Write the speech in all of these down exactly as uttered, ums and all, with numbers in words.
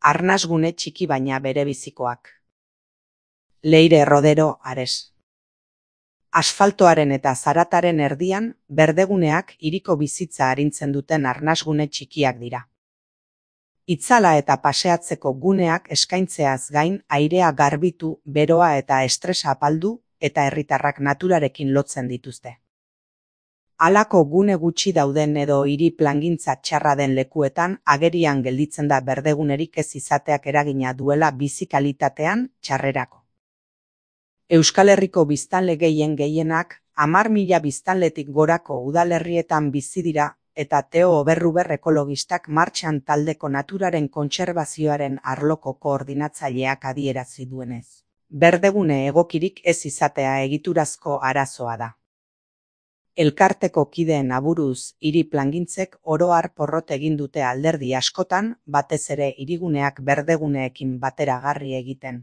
Arnasgune txiki baina berebizikoak. Leire Rodero Ares. Asfaltoaren eta zarataren erdian, berdeguneak hiriko bizitza arintzen duten arnasgune txikiak dira. Itzala eta paseatzeko guneak eskaintzeaz gain airea garbitu, beroa eta estresa apaldu eta herritarrak naturarekin lotzen dituzte. Halako gune gutxi dauden edo hiri plangintza txarra den lekuetan agerian gelditzen da berdegunerik ez izateak eragina duela bizi kalitatean txarrerako. Euskal Herriko biztanle gehien gehienak hamar mila biztanletik gorako udalerrietan bizi dira eta Teo Oberruber ekologistak martxan taldeko naturaren kontserbazioaren arloko koordinatzaileak adierazi duenez. Berdegune egokirik ez izatea egiturazko arazoa da. Elkarteko kideen aburuz, hiri plangintzek oro har porrot egin dute alderdi askotan, batez ere hiriguneak berdeguneekin bateragarri egiten.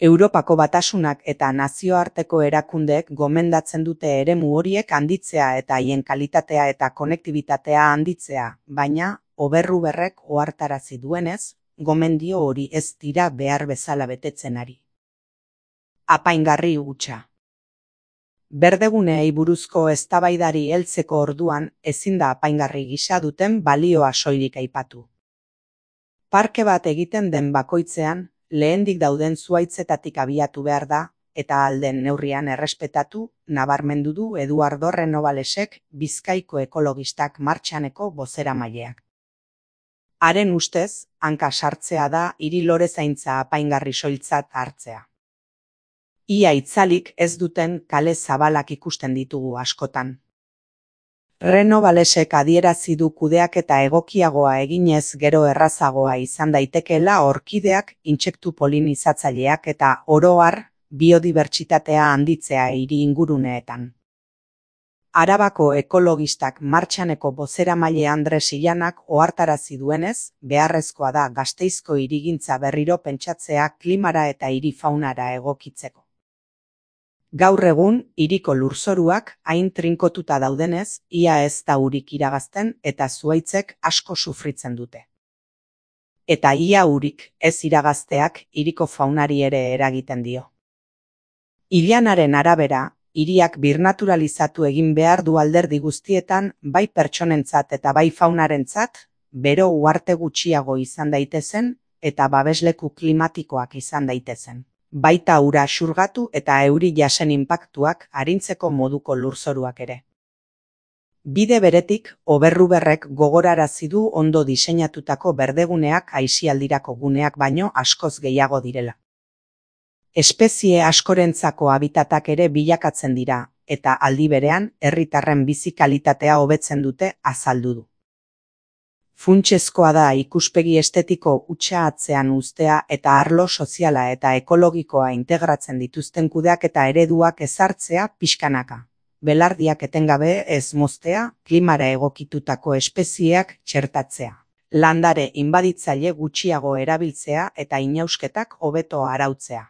Europako Batasunak eta nazioarteko erakundeek gomendatzen dute eremu horiek handitzea eta haien kalitatea eta konektibitatea handitzea, baina Oberruberrek ohartarazi duenez, gomendio hori ez dira behar bezala betetzen ari. Apaingarri hutsa. Berdeguneei buruzko eztabaidari heltzeko orduan ezin da apaingarri gisa duten balioa soilik aipatu. Parke bat egiten den bakoitzean, lehendik dauden zuhaitzetatik abiatu behar da, eta ahal den neurrian errespetatu, nabarmendu du Eduardo Renovalesek Bizkaiko ekologistak martxaneko bozeramaileak. Haren ustez, hanka sartzea da hiri lorezaintza apaingarri soiltzat hartzea. Ia itzalik ez duten kale zabalak ikusten ditugu askotan. Renovalesek adierazi du kudeaketa egokiagoa eginez gero errazagoa izan daitekeela orkideak, intsektu polinizatzaileak eta oro har biodibertsitatea handitzea hiri inguruneetan. Arabako ekologistak martxaneko bozeramaile Andres Illanak ohartarazi duenez, beharrezkoa da Gasteizko hirigintza berriro pentsatzea klimara eta hiri faunara egokitzeko. Gaur egun, hiriko lurzoruak hain trinkotuta daudenez, ia ez da urik iragazten eta zuhaitzek asko sufritzen dute. Eta ia urik ez iragazteak hiriko faunari ere eragiten dio. Illanaren arabera, hiriak birnaturalizatu egin behar du alderdi guztietan, bai pertsonentzat eta bai faunarentzat, bero uharte gutxiago izan daitezen eta babesleku klimatikoak izan daitezen. Baita ura xurgatu eta euri jasen inpaktuak arintzeko moduko lurzoruak ere. Bide beretik, Oberruberrek gogorarazi du ondo diseinatutako berdeguneak aisialdirako guneak baino askoz gehiago direla. Espezie askorentzako habitatak ere bilakatzen dira, eta aldi berean herritarren bizi kalitatea hobetzen dute azaldu du. Funtsezkoa da ikuspegi estetiko hutsa atzean uztea eta arlo soziala eta ekologikoa integratzen dituzten kudeaketa ereduak ezartzea pixkanaka. Belardiak etengabe ez moztea, klimara egokitutako espezieak txertatzea. Landare inbaditzaile gutxiago erabiltzea eta inausketak hobeto arautzea.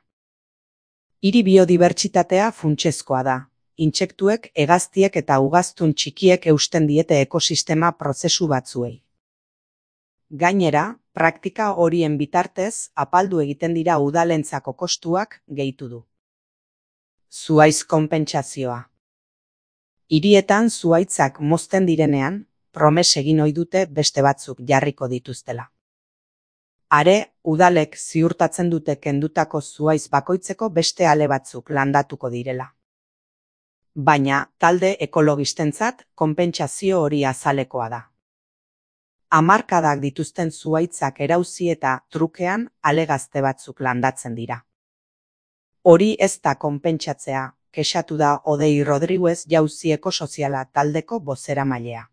Hiri biodibertsitatea funtsezkoa da. Intsektuek, hegaztiek eta ugaztun txikiek eusten diete ekosistema prozesu batzuei. Gainera, praktika horien bitartez apaldu egiten dira udalentzako kostuak gehitu du. Zuhaitz konpentsazioa. Hirietan zuhaitzak mozten direnean, promes egin ohi dute beste batzuk jarriko dituztela. Are, udalek ziurtatzen dute kendutako zuhaitz bakoitzeko beste ale batzuk landatuko direla. Baina, talde ekologistentzat konpentsazio hori azalekoa da. Hamarkadak dituzten zuhaitzak erauzi eta trukean ale gazte batzuk landatzen dira. Hori ez da konpentsatzea, kexatu da Odei Rodriguez Jauzi Ekosoziala taldeko bozeramailea.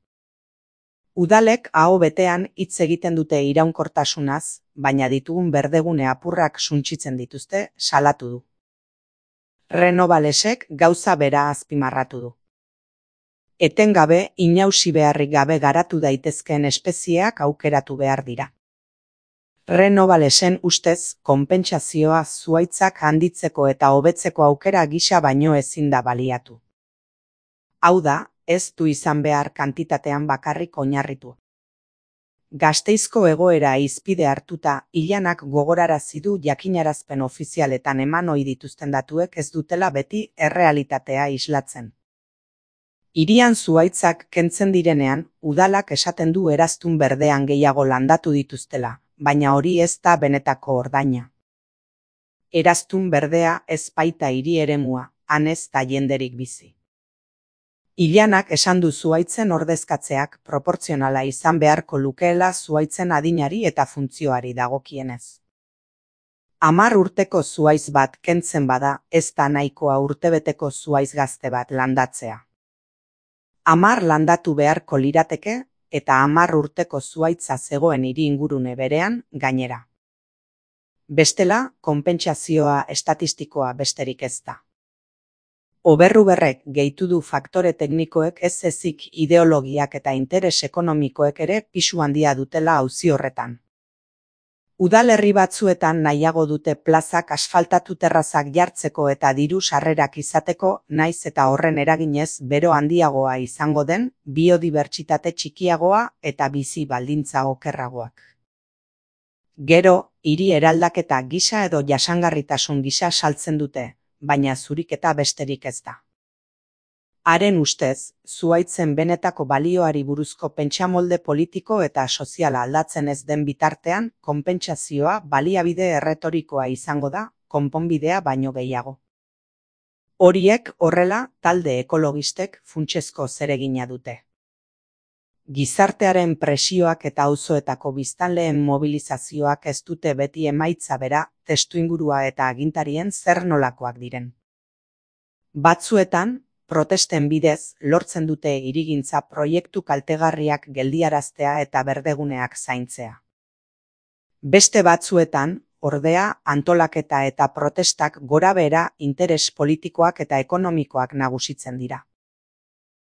Udalek aho betean hitz egiten dute iraunkortasunaz, baina ditugun berdegune apurrak suntsitzen dituzte, salatu du. Renovalesek gauza bera azpimarratu du. Etengabe, inausi beharrik gabe garatu daitezkeen espezieak aukeratu behar dira. Renovalesen ustez, konpentsazioa zuhaitzak handitzeko eta hobetzeko aukera gisa baino ezin da baliatu. Hau da, ez du izan behar kantitatean bakarrik oinarritu. Gasteizko egoera hizpide hartuta, Ilanak gogorarazi du jakinarazpen ofizialetan eman ohi dituzten datuek ez dutela beti errealitatea islatzen. Hirian zuhaitzak kentzen direnean, udalak esaten du eraztun berdean gehiago landatu dituztela, baina hori ez da benetako ordaina. Eraztun berdea ez baita hiri eremua, han ez da jenderik bizi. Ilanak esan du zuhaitzen ordezkatzeak proportzionala izan beharko lukeela zuhaitzen adinari eta funtzioari dagokienez. Hamar urteko zuhaitz bat kentzen bada, ez da nahikoa urtebeteko zuhaitz gazte bat landatzea. Hamar landatu beharko lirateke eta hamar urteko zuhaitza zegoen hiri ingurune berean gainera. Bestela, konpentsazioa estatistikoa besterik ez da. Oberruberrek gehitu du faktore teknikoek ez ezik ideologiak eta interes ekonomikoek ere pisu handia dutela auzi horretan. Udalerri batzuetan nahiago dute plazak asfaltatu terrazak jartzeko eta diru sarrerak izateko, naiz eta horren eraginez bero handiagoa izango den, biodibertsitate txikiagoa eta bizi baldintza okerragoak. Gero, hiri eraldaketa gisa edo jasangarritasun gisa saltzen dute, baina zuriketa besterik ez da. Haren ustez, zuhaitzen benetako balioari buruzko pentsamolde politiko eta soziala aldatzen ez den bitartean, konpentsazioa baliabide erretorikoa izango da, konponbidea baino gehiago. Horiek horrela, talde ekologistek funtsezko zeregina dute. Gizartearen presioak eta auzoetako biztanleen mobilizazioak ez dute beti emaitza bera, testuingurua eta agintarien zer nolakoak diren. Batzuetan, protesten bidez lortzen dute hirigintza proiektu kaltegarriak geldiaraztea eta berdeguneak zaintzea. Beste batzuetan, ordea, antolaketa eta protestak gorabehera interes politikoak eta ekonomikoak nagusitzen dira.